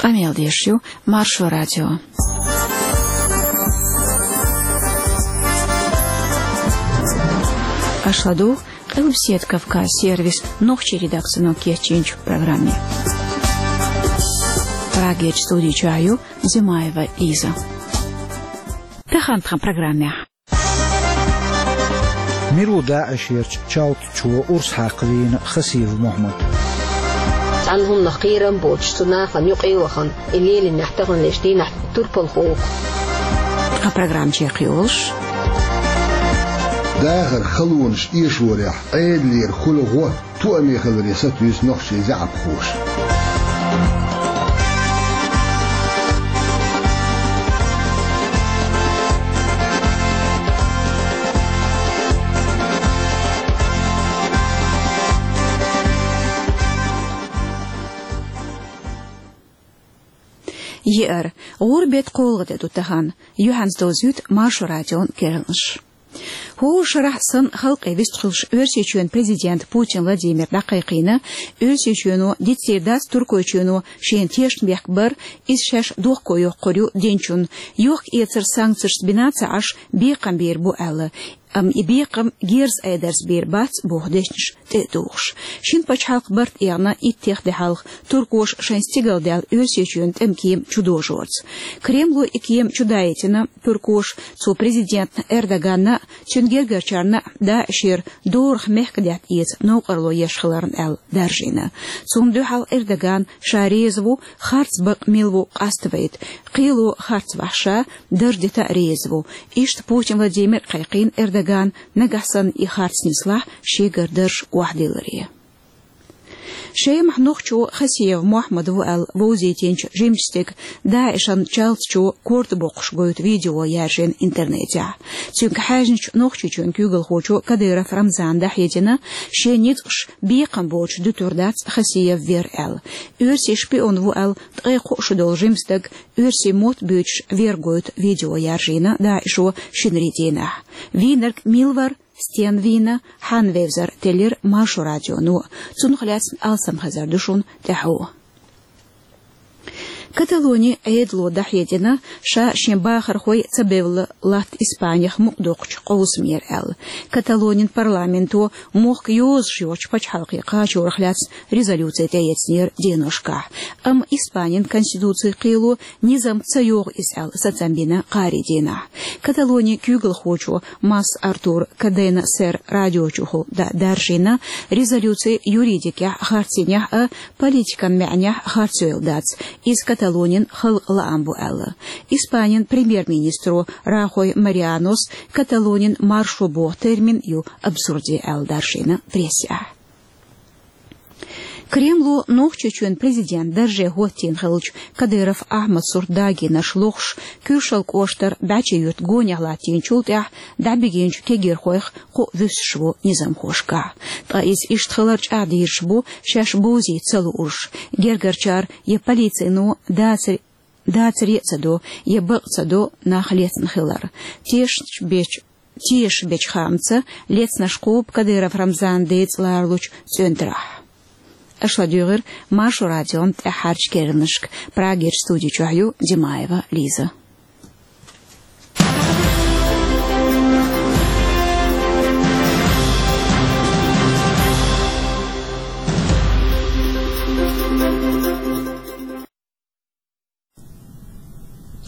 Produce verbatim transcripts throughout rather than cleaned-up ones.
Къамел деш ю Маршо радио. Аша ладугӀу Къилбаседа Кавказ сервисан нохчийн редакцино кечйинчу программе. Прагерчу студи чохь ю Зимаева Лиза. Тахана тхан программехь. Мила ву ДАИШерчу чалтачо урс хьакха вийна Хасиев Мохьмад? Цхьана хӀуманах кхерам боцуш, цу нахана юкъе а вахана, и лелийнехь таханлерчу дийнахь турпалхо ву-кх. Тхан программа чекхйолуш. Дахаран халонаш эшорехь Ӏедалера хуьлу гӀо тоаме хиларе сатуьйсу нохчийн заьӀапхоша. Еара, гӀуран беттан кхоалгӀа де ду тахана. Юьхьанца довзуьйту Маршо радион керланаш. ХӀора шарахь санна халкъе вистхуьлуш Оьрсийчоьнан президента Путин Владимира дӀакхайкхийна, Оьрсийчоьно дицдийр дац Туркойчоьно шена тешнабехк бар, иза шаьш дохко йоккхур ю динчунна. Йохка-эцар санкцешца бина ца Ӏаш, бекхам бийр бу аьлла. Амма и бекхам герз айдарца бийр бац, боху дешнаш тӀе а тухуш. Шина пачхьалкхан барт эгӀна иттех де хьалха туркоша шайн стигалдаьлла Оьрсийчоьнан тӀеман кема чудожорца. Кремло и кема чудаийтина туркоша, цу президентна Эрдоганна а, цуьнан гергарчарна а ДАИШера дорах мехкадаьтта эца новкъарло еш хиларна аьлла даржийна. Цунна дуьхьал Эрдоган ша реза ву, харц бакъ мила ву къаставайта. Кхело харцвахь ша дарж дита а реза ву. Иштта Путин Владимира кхайкхийна Эрдогана, нагахь санна и харц нислахь, шегара дарж охьадилларе. Шемахь нохчо Хасиев Мохьмад ву аьлла вовзийтинчу жимачу стеган ДАИШан чалтачо корта боккхуш гойту видео яьржина интернетехь. Цуьнга хьаьжначу Нохчийчоьнан куьйгалхочо Кадыров Рамзана дӀахьедина, шен ницкъаша бекхам боцуш дуьтур дац Хасиев вер аьлла. Оьрсийн шпион ву аьлла ткъе кхо шу долу жима стаг оьрсийн мотт буьйцуш вер гойту видео яьржийна ДАИШо шинарин дийнахь. Вийнарг мила вара, стенна вийна, хьанна вевзар теллира Маршо радионо. Цунах лаьцна алсам хезар ду шуна тӀаьхьо. Каталонин Ӏедало дӀахьедина, ша шен бахархой ца бевлла латта Испанех мукъадоккхучу къовсамера аьлла. Каталонин парламенто мохк йозуш йоцучу пачхьалкхе кхачорах лаьцна резолюци тӀеэцнера деношкахь. Амма Испанин конституцин кхело низам ца йогӀу иза аьлла сацам бина кхаарин дийнахь. Каталонин куьйгалхочо Мас Артур Кадена Сер радиочухула да-, даржийна, резолюци юридикехь харцйинехь а, политикан маьӀнехь харцйойла дац. Иза Каталонин халкъан лаам бу аьлла. Испанин премьер-министро Рахой Марианос Каталонин маршо боху термин ю абсурди аьлла даржийна прессехь. Кремло Нохчийчоьнан президент дарже хӀоттийна хиллачу Кадыров Ахьмад сурт дагийнарш лохуш, Куьршал кӀоштара БӀаьчий-Юьртан гонехь латтийначул тӀаьхьа дӀабигинчу кегийрхойх кхоъ вуьсуш ву низамхошкахь. Ткъа иза иштта хилар чӀагӀдийраш бу, шаьш бовзийта ца луурш. Гергарчара я полицино дацаре, дацаре а ца до, я бакъ ца до нах лецна хилар. Тешаш бечу, тешаш бечу хаамца, лецнарш кхобу Кадыров Рамзанан децӀан лоралучу цӀоьнтарахь. Аша ладуьйгӀира Маршо радион тӀаьххьарчу керланашка. Прагерчу студи чохь ю Димаева Лиза.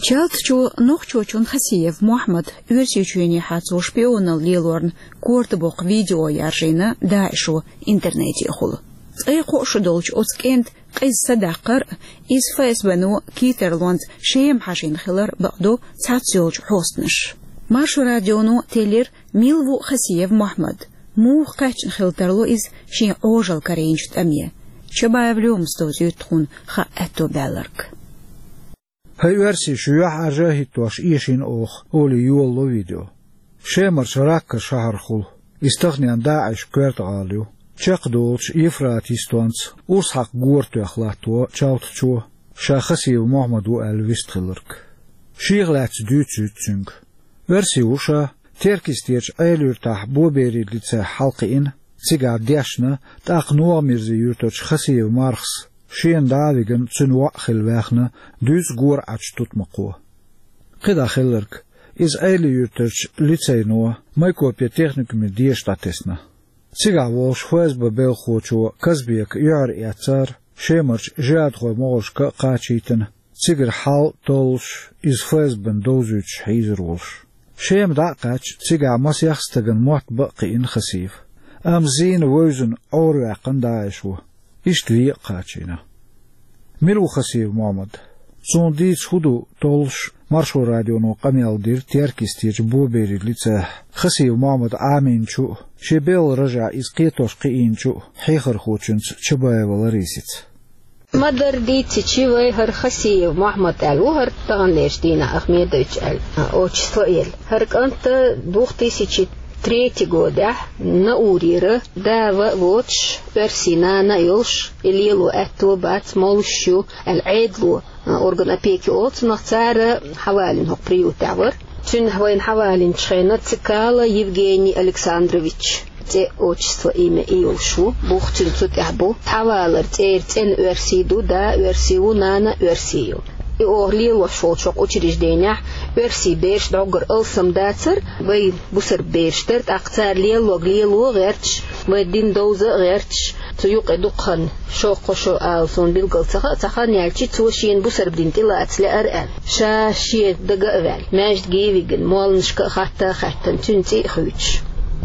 Чалтачо нохчочун Хасиев Мохьмад Оьрсийчоьнехьа цо шпионал лелорна корта боккху видео яржийна ДАИШо интернетехула. Ткъе кхоъ шу долчу оцу кӀентан къиза садаккхар а, иза ФСБ-но кийттарлонца Шема хьажийна хилар бакъдо цхьацца йолчу хьостанаша. Маршо радионо теллира, мила ву Хасиев Мохьмад, муха кхаьчна хила тарло иза шен Ӏожалла карийначу тӀаме. Чабаев Лёмас довзуьйту тхуна хаа аьтто баьлларг. ХӀай оьрсий, шу юьхьӀаьржа а хӀиттош эшийна оха, олий йолало видео. Шемарчу Ракка шахьархула. Иза таханенна ДАИШ-н коьрта гӀала ю. Чекхдолучу Евфрат йистонца урс хьакха гора тоьхна латто чалтачо, ша Хасиев Мохьмад ву аьлла вистхиларг. Шех лаьцна дуьйцуьйту цуьнга. Оьрси ву ша, Теркйистерчу Ӏелуьртахь Боберин лице хьалакхиъна, цигахь дешна, тӀаккха НогӀамирзин-Юьртарчу Хасиев Мархас шена дӀа а вигна, цуьнан воӀ хилла ваьхна дуьзза гора Ӏачу тутмакхо. КхидӀа хилларг, иза Ӏелин-Юьртарчу лицейно, Майкопе техникуме деша дӀатесна. Цигахь волуш ФСБ белхахочо Казбека юьхьар эцнера, Шемарчу жихӀадхойн могӀаршка а кхачийтина, цигара хьал толлуш, иза ФСБ-н довзуьйтуш хьийзар волуш. Шема дӀа а кхаьчча, цигахь масех стагана мотт бан а кхиъна Хасиев. Амма зийна вевзина Ӏораваьккхина ДАИШо. Иштта вен а кхачийна. Мила ву Хасиев Мохьмад? Цунна дийца хӀун ду толлуш, Маршо радионо къамел дира Теркйистечу Боберин лицейхь Хасиев Мохьмад Ӏамийначу а, шен белхан рожехь иза кхетош кхиийначу а хьехархочуьнца Чабаева Ларисица. Ма-дарра дийцича, вай хӀара Хасиев Мохьмад аьлла ву хӀара таханлерчу дийнахь Ахмедович аьлла, а, отчество а елла. ХӀара кӀант две тысячи третий годехь Наурера, да-ва а воцуш, оьрсийн нана а йолуш, и лело аьтто а бац, молуш ю аьлла, Ӏедало, а, орган опеки олу цунах, цара хьавалийна хӀокху приютехь вара. Цуьнан вайна хьавалийначу хенахь Цикала Евгений Александрович цӀе, отчество, имя и йолуш ву, бух цуьнан цу тӀехь бу. Хьавалар цӀера цӀена оьрси ду, да оьрси ву, нана оьрси ю. И оха лелош волчу хӀокху учрежденехь оьрси бераш дӀоггара алсам дацара, вай бусарба бераш дара, тӀаккха цара лелларг лело а гӀерташ, вай дин довза а гӀерташ, цу юкъе дукха хан, шо-кхо шо ала суна билггал ца хаьа, цхьа хан яьлча цо шена бусарба дин тӀелаца лаьара аьлла. Ша шен дага а ваьлла, маьждиге а вигина, молланашка а хатта а хаьттина, цуьнан цӀе а хуьйцуш.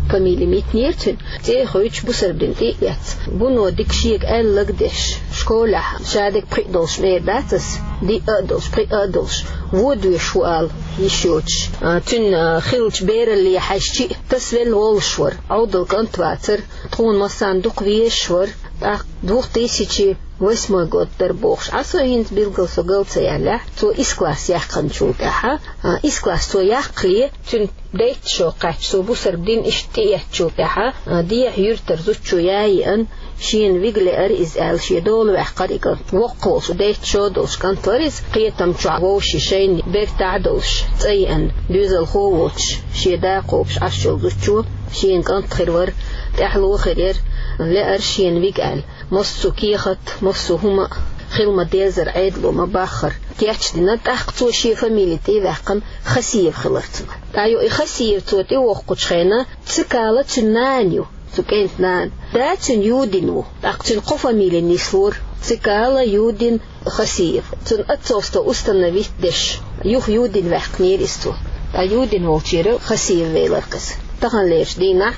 Фамили Митнера цуьнан. ЦӀе а хуьйцуш, бусарба дин тӀе а эцна. Вуно дика шега аьлларг а деш, школехь ша дерг пхиъ долуш ма эр дац ас, диъ а долуш, пхиъ а долуш, вон доьшуш ву ала йиш йоцуш. А, цуьнан, а, хиллачу бералле хьаьжча а, тасавелла воллуш вара, Ӏовдал кӀант вацара, тхуна массарна дукха везаш вара, тӀаккха две тысячи восьмой год дара бохуш, Ӏа со хӀинца билггал со гал ца яьллехь, цо исс класс яьккхинчул тӀаьхьа, а, исс класс цо яккхале, цуьнан дейтта шо кхаьчча, цо бусарба дин иштта тӀеэцначул тӀаьхьа, а, дехьа юьртара зудчо ян а еана, шена вига лаьара иза аьлла, шен дола ваьккхира и кӀант. Воккха волуш, дейтта шо долуш кӀант вара иза, кхетам чохь вовшийн шайна бертахь а долуш, цӀа еана, доьзалхо а воцуш, шен да кхобуш Ӏаш йолу зудчо шена кӀант хир вара, тӀаьхьало хир яра, лаьара шена вига аьлла. Массо а кехат, массо а хӀума а хила ма-деззара, Ӏедало ма-баххара кечдина, тӀаккха цо шен фамили тӀе а ваьккхина, Хасиев хилира цуьнан. ТӀаккха и Хасиев цо тӀевоккхучу хенахь, Цикала цуьнан нана ю, цу кӀентан нана. Да цуьнан Юдин ву, тӀаккха цуьнан кхо фамили нислора: Цикала, Юдин, Хасиев. Цуьнан отцовство установить деш, юха Юдин ваьккхинера иза цо. Ткъа Юдин волчуьра Хасиев велира иза. Таханлерчу дийнахь,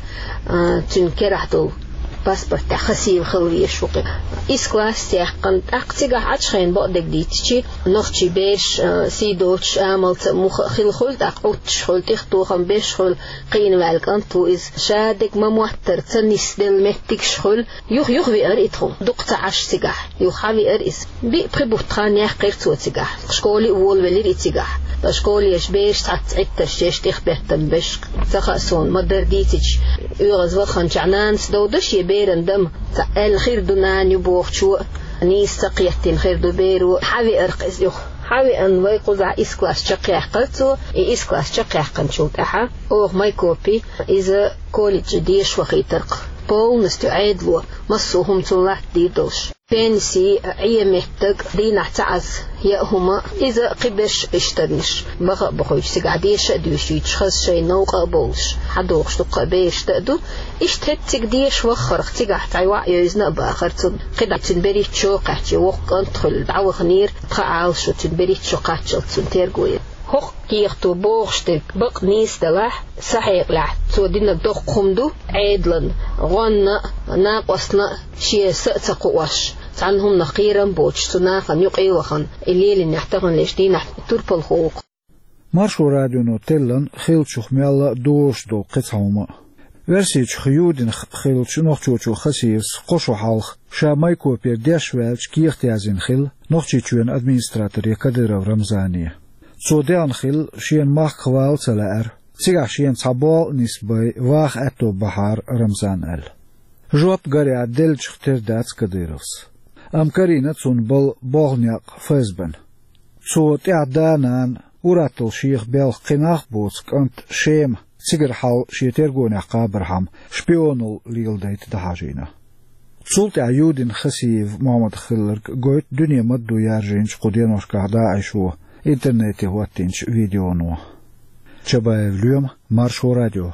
а, цуьнан керахь долу паспортехь Хасиев хила везаш ву-кх. Исс класс яьккхина, тӀаккха цигахь Ӏачу хенахь бакъдерг дийцича, нохчийн бераш, а, сий доцуш, амалца а, муха а хилла хуьлу, тӀаккха Ӏуттуш хуьлу, тӀехтохам беш хуьлу, кхиъна ваьлла кӀант ву иза, ша дерг ма-моттара ца нисделла меттигаш хуьлу, юха-юха веара и тхуна, дукха ца Ӏаш цигахь, юха хьавеара иза. Биъ-пхи бутт хан яьккхира цо цигахь. Школе а волавелира и цигахь. Ткъа школехь бераш цхьацца Ӏиттарш еш, тӀехбеттам беш, ца хаьа суна, ма-дарра дийцича, оьгӀазваханчохь нанас довда шен беран дама, цхьа аьлла хир ду нана ю бохучо, нийса ца кхеттина хир ду беро, хьавеара-кх иза юха. Хьавеана, вай кхузахь исс класс чекхъяьккхира цо, и исс класс чекхъяьккхинчул тӀаьхьа оха Майкопе иза колледже деша вахийтира-кх. Полностью Ӏедало массо а хӀума цунна латтадийр долуш. Пенси, Ӏен меттиг, дийнахь цхьа Ӏаза яа хӀума, иза кхиберш иштарнаш. Баха а бохуьйтуш, цигахь деша а доьшуьйтуш, хаза шайн новкъа а бовлуш, хьадогӀуш дуккха а бераш а ду. Иштта хӀетта цига деша ваххарх, цигахь цхьа йоӀ йевзина а бахара цунна. КхидӀа цуьнан берхӀитта шо кхаьчча, воккха кӀант хуьлу, дӀаваханера, тхан Ӏалашо цуьнан берхӀитта шо кхаччалц цунна терго яра. ХӀокху кехато бохуш дерг бакъ нийса делахь, сан хьекъалехь, цо динарг доккха хӀума ду Ӏедална, гӀонна а, накъостна а, шен са а ца кхоош, цхьана хӀуманах кхерам а боцуш, цу нахана юкъе а вахана, и лелийнехь таханлерчу дийнахь турпалхо ву-кх. Маршо радионо теллина хиллачух мелла а дозуш долу кхин цхьа хӀума а. Оьрсийчух Юдинах хиллачу нохчочо Хасиевс кхо шо хьалха, ша Майкопера деш ваьлча, кехат яздина хилла Нохчийчоьнан администраторе Кадыров Рамзане. Цо дехна хилла, шена махках вала ца лаьара. Цигахь шена цхьа болх а нисбай, ваха аьтто бахьара Рамзана аьлла. Жоп, гарехь, деллачух тера дац Кадыровс. Амма карийна цунна бала болх-некъ ФСБ-н. Цо тӀаьхьа да-нана, ур-атталла шех белхан кхин нах а боцу кӀант Шема, цигара хьал шен тергонехь кхабархьама, шпионалла леладайта дӀахьажийна. Цул тӀаьхьа Юдин Хасиев Мохьмад хилларг гойту дуьне ма-дду яржийначу кху деношкахь ДАИШо интернете хӀоттийначу видеоно. Чабаев Лоьма, Маршо радио.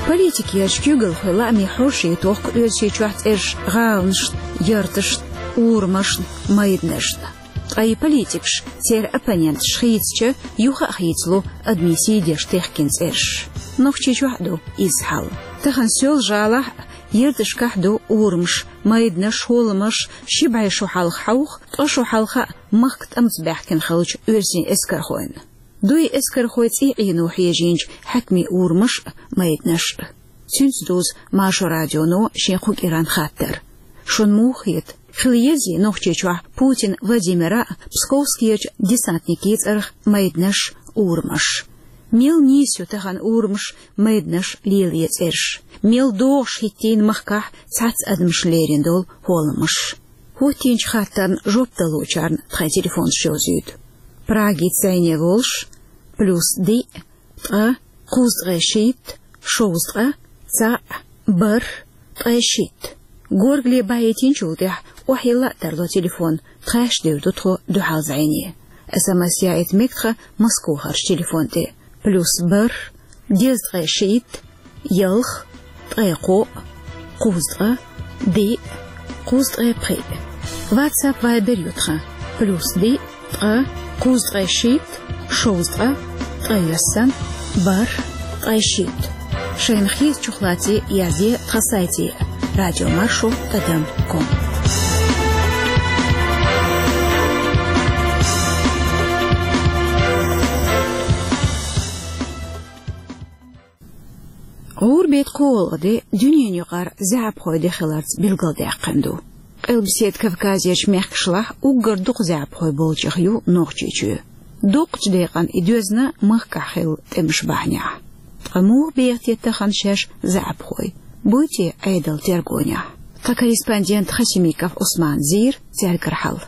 Политикерчу куьйгалхойн лаамийн хьош ю тохку Оьрсийчохь цӀераш гӀаланашна, ярташна, урамашна, майданашна. Ткъа и политикаш, церан оппоненташ хийцича, юха а хийцало адамийн сий деш техкина цӀераш. Нохчийчохь а ду изза хьал. Тахана Соьлжа-ГӀалахь а, ярташкахь а ду урамаш, майданаш, хӀолламаш, ши бӀе шо хьалха хьовха, ткъа шо хьалха а махка тӀамца баьхкина хиллачу оьрсийн эскархойн. Дуй эскархойн цӀий Ӏено хьежийначу хьаькамийн урамаш а, майданаш а. Цуьнца дузу Маршо радионо шен кху кӀиран хаттар. Шуна муха хета, хила езий Нохчийчохь Путин Владимира а, Псковскерчу десантникийн цӀарах майданаш, урамаш? Мел нийса ю тахана урамаш, майданаш лелае цӀераш? Мел догӀуш хӀиттийна махкахь цхьацца адамашна лерина долу хӀолламаш? ХӀоттийначу хаттарна жоп далучарна тхайн телефонаш йовзуьйту. Прагица зӀене волуш: плюс диъ, ткъа, кхузткъе шийтта, шовзткъа, цхьаъ, бархӀ, ткъе шийтта. Горгали бахьийтинчул тӀаьхьа охьайилла а тарло телефон, тхаьш девр ду тхо дуьхьал зӀене. СМС яийта мега тхан Москохарчу телефон тӀе: плюс бархӀ, дезткъе шийтта, ялх, ткъе кхоъ, кхузткъа, диъ, кхузткъе пхиъ. WhatsApp, Viber ю тхан: плюс диъ, ткъа, кхузткъе шийтта, шовзткъа, ткъайоьсна, бархӀ, ткъе шийтта. Шайна хетачух лаций язде тхан сайте: радиомаршо тӀадам ком. ГӀуран беттан кхоалгӀа де дуьненан юкъара заьӀапхойн де хиларца билгалдаьккхина ду. Къилбаседа Кавказерчу мехкашлахь уггар дукха заьӀапхой болчех ю Нохчийчоь. Доккхачу декъана и доьзна махкахь хилла тӀемаш бахьанехь. Ткъа муха беха те тахана шаьш заьӀапхой? Буй те Ӏедал тергонехь? Тхан корреспондент Хасимиков Ӏусмана зийра цаьргара хьал.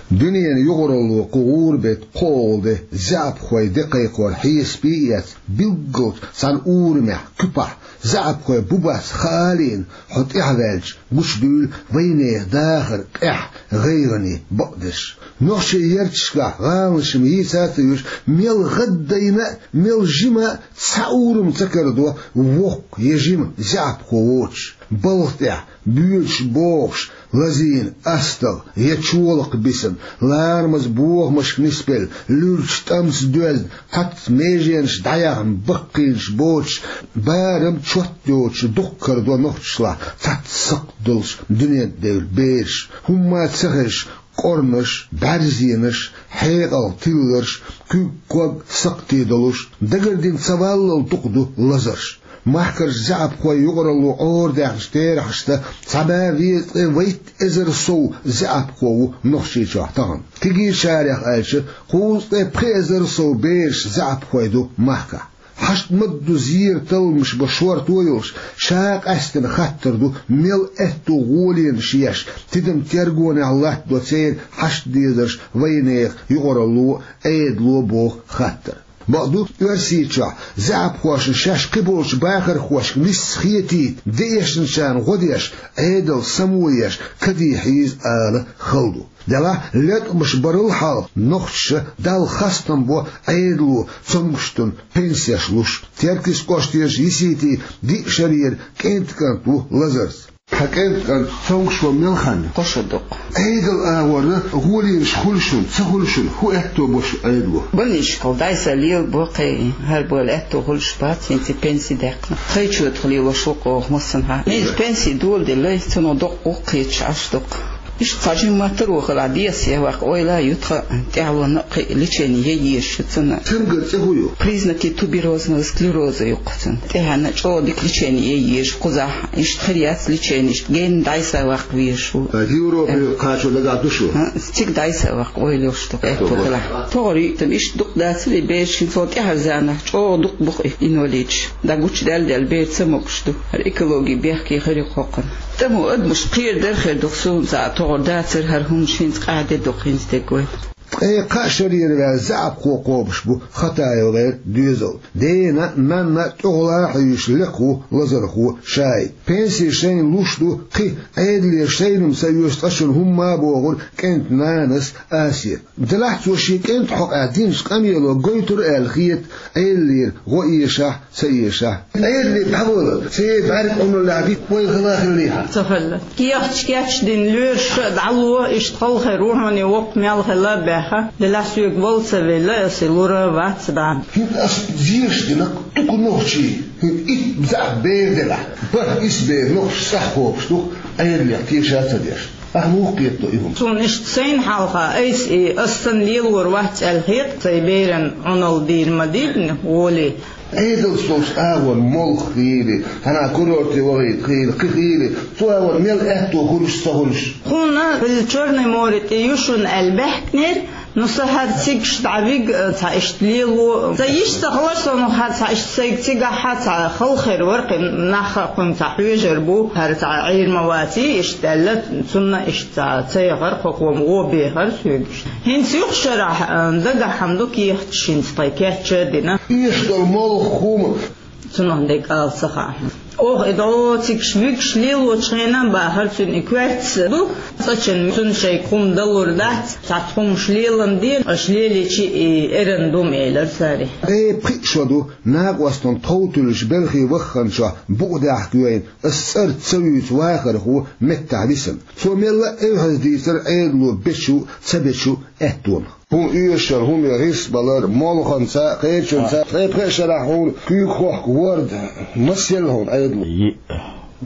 Дуьненан юкъаралло кху гӀуран беттан кхоалгӀа де заьӀапхойн де кхайкхор хьесапе а эцна, билггал цхьана урамехь, куьпахь, заьӀапхой бу-бац хаа а лиъна, хьо тӀаьхьаваьлча, гучудуьйла вайнехан дахар, къаьхьа, гӀайгӀане бакъдерш. Нохчийн ярташкахь гӀаланаш-м йийца а ца юьйш, мел гӀаддайна а, мел жима а цхьа урам ца карадо воккха я жима заьӀапхо воцуш. Балха тӀехь, боьдуш-бохуш, лазийна астагӀа я чолакх бисина, ларамаза бохамашка нисбелла, луьрачу тӀамца доьзна, цхьацца меженаш дӀаяьхна баккхийнаш боцуш, барам чот йоцуш дукха карадо нохчашлахь цхьацца сакхт долуш дуьнен тӀе девлла бераш, хӀумма а ца хезаш, кӀорнаш, бӀаьрзенаш, хьекъал тилларш, куьг-ког сакхте долуш, дагардина ца валлал дукха ду лазарш. Махкарчу заьӀапхойн юкъаралло Ӏорадаьхначу терахьашца, цхьа бӀе везткъе вайтта эзар сов заьӀапхо ву Нохчийчохь тахана. Кегийчарех аьлча, кхузткъе пхи эзар сов бераш заьӀапхой ду махкахь. Хьашт ма-дду зеран талламаш бан шорто йолуш, ша къаьстина хаттар ду, мел аьтту гӀоленаш еш, тидам тергонехь латтадо церан хьашт дезарш вайнехан юкъаралло а, Ӏедало а боху хаттар. Бакъду, Оьрсийчохь заьӀапхошна шаьш кхиболчу бахархошка нисса хетийта, деэшначарна гӀо деш, Ӏедал само еш, кадий хьийза ала хала ду. Делахь, леткъамаш барал хьалха нохчаша Далла хастам бо Ӏедало цомгуш дерг пенсеш луш. Теркйист кӀоштарчу Йиситин диъ шарера кӀентан кӀант ву лазарца. Хьан кӀентан кӀант цомгуш ван мел хан ю? Кхо шо ду-кх. Ӏедалан агӀор гӀоленаш хуьлу шуна, ца хуьлу шуна, хӀун аьтто бо шун Ӏедало? Больничкал дӀасалелабо кхин, хӀара бала аьтто хуьлуш бац, хӀинца пенси даьккхина. Тхайчу тӀехь лелош ву-кх оха массанхьа. Иза пенси доладеллай, цунах доккха гӀуллакх кхеташ Ӏаш ду-кх. Иштта цхьа жимма тарло хилахь, деса яхь ваккха ойла а ю тхан, тӀаьхьалонна а кхин лечени ян езаш ю цунна. Цуьнгара цӀе хӀун ю? Признаки туберозного склероза ю-кх цунна. ТӀаьхьенна чӀогӀа дика лечени ян езаш, кхузахь иштта хир яц лечени, иштта генна дӀасаваккха везаш ву. Европе кхачо дагахь ду шу? ХӀаъ, цига дӀасаваккха ойла йолуш ду-кх, аьтто хилахь. ТогӀар йиъ тӀам иштта дукха дацара и бераш, хӀинца хӀокху тӀаьхьара заманахь чӀогӀа дукха бу-кх и инвалидаш. ДӀа гучудаьлла-даьлла бер ца могуш ду. ХӀара экологи бехке хир ю-кх хӀокхунна. ТӀамо адамаш кхерадар а хир ду-кх, суна цкъа а тогӀар дацара хӀара хӀуманаш, хӀинца къахьде ду-кх хӀинца дерг вай. Ткъе кхаа шарера ваьнна заьӀапхо кхобуш бу Хатаевгара доьзал. Дена а, нанна а тӀехула хьуьйсуш лекха ву лазархо Шаип. Пенси шайна луш ду кхин, Ӏедалера шайна-м ца оьшу цкъачунна хӀумма а, бохура кӀентан нанас Асета. Делахь цо шен кӀентан хьокъехь динчу къамело гойтура аьлла хета Ӏедалера гӀо эшахь, ца эшахь. Ӏедале дӀавала, церан бӀаьрг Ӏуналлехь битта вай хала хиллехьа. Ца хилла. Кехаташ кечдина лоьраша а дӀало, иштта хала хир ву хьуна и воккха мел хила а баьхна, делахь соьга вала ца велла, аса и лур а вац бахьана. ХӀинца ас зеш дина, дукха нохчий, хӀинца итт заьӀап бер делахь, бархӀ исс бер нохчий схьахобуш ду, Ӏедалех теша а ца деш. Ахьа муха кхетадо и хӀума? Суна иштта сайна хьалха айса и ас санна лелор вац аьлла хета, сайн беран Ӏуналла дийр ма дийдина, волий. Ӏедалца долчу агӀор молха хийла, хьанна курорте вахийта хийла, кхин хийла, цу агӀор мел аьтто хуьлуш, ца хуьлуш. Тхуна хӀуьлла Чёрное море тӀе ю шуна аьлла баьхкинера, ну, сан хӀара цигахь дӀавига, цхьа иштта лело. Сан йиш ца хилар суна хӀара цхьа иштта сайга цигахь а цхьа хала хир вара, кхин нах а кхунна цхьа хьоьжур бу, хӀара цхьа Ӏийр ма ваций, иштта аьлла, цунна иштта цхьа ца яхара, кхо-кхо-м гӀо бехара соьга иштта. ХӀинца юха шарахь, а, дагахь хӀума ду кехаташ хӀинца тхайн кечдина. Эшдолу молха хӀума. Цунах дерг ала ца хаьа хьуна. Оха и дӀо цигахь вигаш лелочу хенахь бахара цуьнан и коьртаца ду, цкъачунна цунна шайга хӀума далур дац, цхьацца хӀумаш лелан де, аша лелийча и эрна ду-м, элира цара. Ткъе пхиъ шо ду, накъостан тхов туьллуш белхий вахханчохь букъ даьхка вайна, ас цӀарца ца вуьйцу вахархо меттахь висина. Цо мелла а эвхьаза дийцира Ӏедало бечу а, ца бечу а аьттонах. ХӀума оьшуш хӀума гӀирс балар, молханца, кхечунца, ткъе пхеа шарахь хьуна куьйга хохку ворда, масел хьуна Ӏедало? Йиъ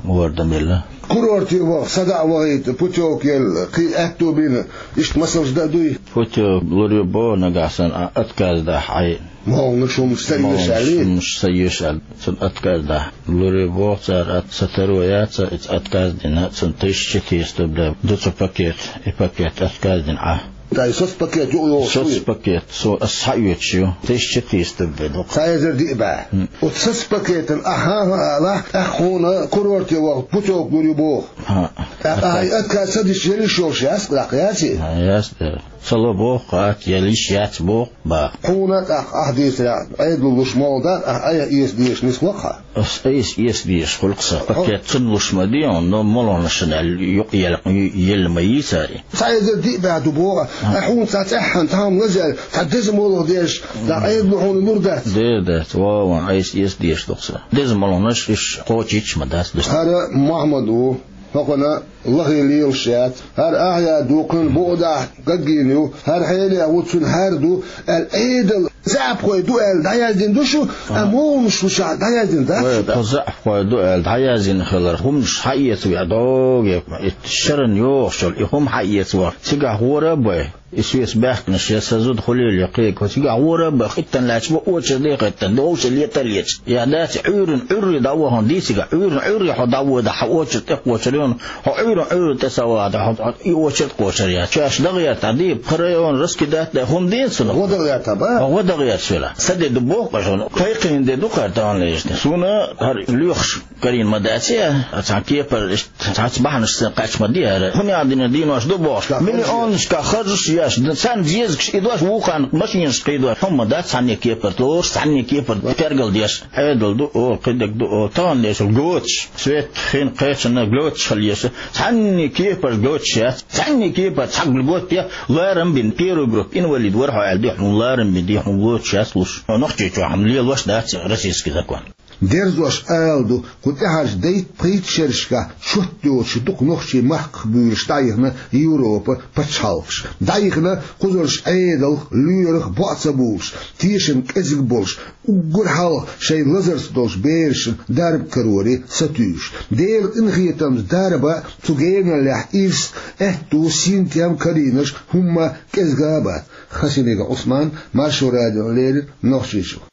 ворда мелла. Курорте ваха, садаӀа вахийта, путёвка елла, кхин аьтто бина, иштта масалш дан а дуй? Путёвка лур ю боху нагахь санна, а, отказ дахь Ӏай. Молханаш хӀумаш ца оьшу аьлла? Молханаш хӀумаш ца оьшу аьлла. Цунна отказ дахь. Лур ю боху цара, а, ца таро яц, иза отказ дина, цунна тысяча четыреста рублей ду цу пакет, и пакет отказ дина Ӏа. Тай соцпакет юкъа йолуш вуй? Соцпакет, со ас схьаоьцуш ю. Тысяча четыреста рублей ду. Цхьа эзар диъ бӀе. Хм. Оцу соцпакетан ахьа а алахь, тӀаккха хьуна курорте ваха путёвка лур ю боху. ХӀаъ. ТӀаккха ахьа и отказ ца дича, ял йиш йолуш яц, тӀаккха яций? ХӀаъ, яц, да. Ца ло боху, хӀаъ, ял йиш яц боху, баха. Хьуна тӀаккха ахьа дийцарехь, Ӏедало луш молу дакъа, ахьа айхьа эца дезаш нисло-кх хьан? Ас айса эца дезаш хуьлу-кх сан. Пакет цунна луш ма ду хьуна, но молханашна аьлла юкъа елла, елла ма йийцара. Цхьа эзар диъ бӀе ду боху, ахьа хьуна цхьа цӀеххьана, цхьа хӀума лазийна, цхьа деза молха деш, дӀа Ӏедало хьуна лур дац? Де, дац, вон, айса эца дезаш ду-кх сан. Деза молханаш уьш кхочуьйтуш ма дац. ХӀара Мохьмад ву, хӀокхуьнан лахе лелаш яц. ХӀара ахьа яр ду, кхуьнан букъ дахь гаггийна ю. ХӀара хьенех ву, цуьнан хӀара ду, аьлла, Ӏедал заьӀапхой ду аьлла дӀаяздина ду шу, а молханаш лучохь дӀаяздина дац шу. Тхо заьӀапхой ду аьлла дӀаяздина хилар, хӀуманаш схьаэцаве догӀе, и шарна йогӀуш йолу и хӀума схьаэцавахь, цигахь гӀора а бай. И соьца баьхкинарш я сан зуда хуьлийла я кхин, кху цигахь гӀора а бай, хӀиттина лаьтташ бу, очереде хӀиттина, довша летар леташ. Я дац, Ӏуьйранна Ӏуьйре дӀавахана дийцигахь, Ӏуьйранна Ӏуьйре хьо дӀавода, хьан очередь тӀекхочур ю, хьо Ӏуьйранна Ӏуьйре тӀе ца вада, хьо и очередь кхочур я. Чаш дагӀерта дийпа, пхи район раскидать дай, хӀума дийна цунах. ГӀо дагӀерта ба? ГӀо дагӀерта хила. Сан де ду боху-кх шуна. Кхайкхийна де ду-кх хӀара тахана лежна. Суна хӀара лоьхуш карийна ма дац я, цхьана кепара иштта цхьацца бахьанашца кхаьчна ма ду хӀара. ХӀунда аьлла дина, денош ду бохуш. Миллионашкахь харжаш еш, царна дезагаш идош, вукхарна машинаш кхийдош. ХӀума дац цхьанне кепара лоруш, цхьанне кепара тергал деш. Ӏедал ду олу, кхидерг ду олу. Тахана дешал гоцаш. Свет хин кхечанна гоцаш хила еза. Цхьанне кепара гоцаш яц. Цхьанне кепара цхьа льгота я, ларам бина, первый группа инвалид вара хьо аьлла, ди хьуна ларам бина, ди хьуна гоцаш яц луш. Нохчийчохь хӀума лелош дац российский закон. Дерзош ала ду, кху тӀаьхьарчу дейтта-пхийтта шерашкахь чот йоцуш дукха нохчий махках буьйлуш дӀайихна Европа пачхьалкхаш. ДӀайихна кхузарш Ӏедалх, лоьрах боӀ ца буьйлуш, тешам кӀезиг болуш, уггар хьалха шайн лазарца долчу берашна дарба кароре сатуьйсуш. Делан къинхетамца дарба а, цу геналлехь ирс а, аьтту, синтем а карийнарш хӀумма кӀезга а бац. Хасимиков Ӏусман, Маршо радиона леррина, Нохчийчуьра.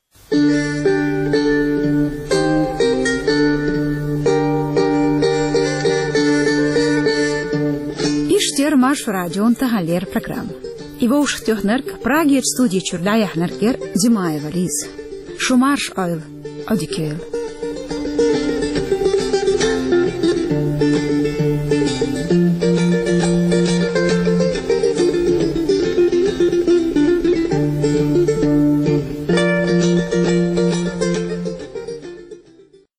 Иштта яра Маршо радион таханлера программа. И вовшахтоьхнарг, Прагерчу студи чуьра дӀаяьхьнарг яра Зимаева Лиза. Шу марша Ӏойла, Ӏодика йойла.